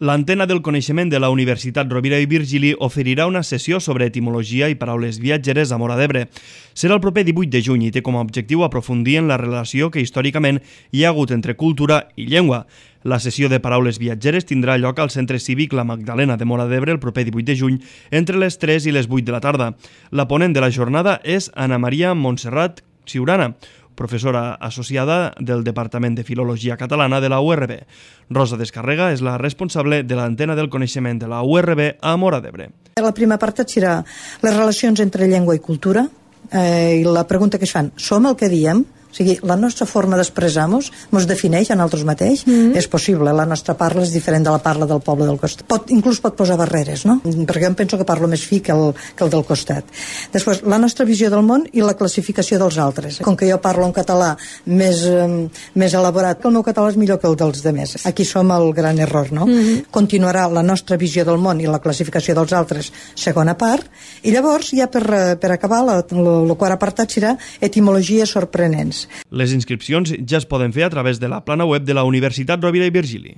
L'Antena del Coneixement de la Universitat Rovira i Virgili oferirà una sessió sobre etimologia i paraules viatgeres a Móra d'Ebre. Serà el proper 18 de juny i té com a objectiu aprofundir en la relació que històricament hi ha hagut entre cultura i llengua. La sessió de paraules viatgeres tindrà lloc al Centre Cívic La Magdalena de Móra d'Ebre el proper 18 de juny entre les 3 i les 8 de la tarda. La ponent de la jornada és Ana Maria Montserrat Ciurana, professora associada del Departament de Filologia Catalana de la URB. Rosa Descarrega és la responsable de l'Antena del Coneixement de la URB a Móra d'Ebre. La primera part serà les relacions entre llengua i cultura i la pregunta que es fan, som el que diem? O sigui, la nostra forma d'expressar-nos ens defineix a nosaltres mateix? És possible, la nostra parla és diferent de la parla del poble del costat. Inclús pot posar barreres, no? Perquè em penso que parlo més fi que el del costat. Després, la nostra visió del món i la classificació dels altres. Com que jo parlo en català més elaborat, que el meu català és millor que el dels demés. Aquí som el gran error, no? Continuarà la nostra visió del món i la classificació dels altres, segona part, i llavors, ja per acabar, el quart apartat serà etimologies sorprenents. Les inscripcions ja es poden fer a través de la plana web de la Universitat Rovira i Virgili.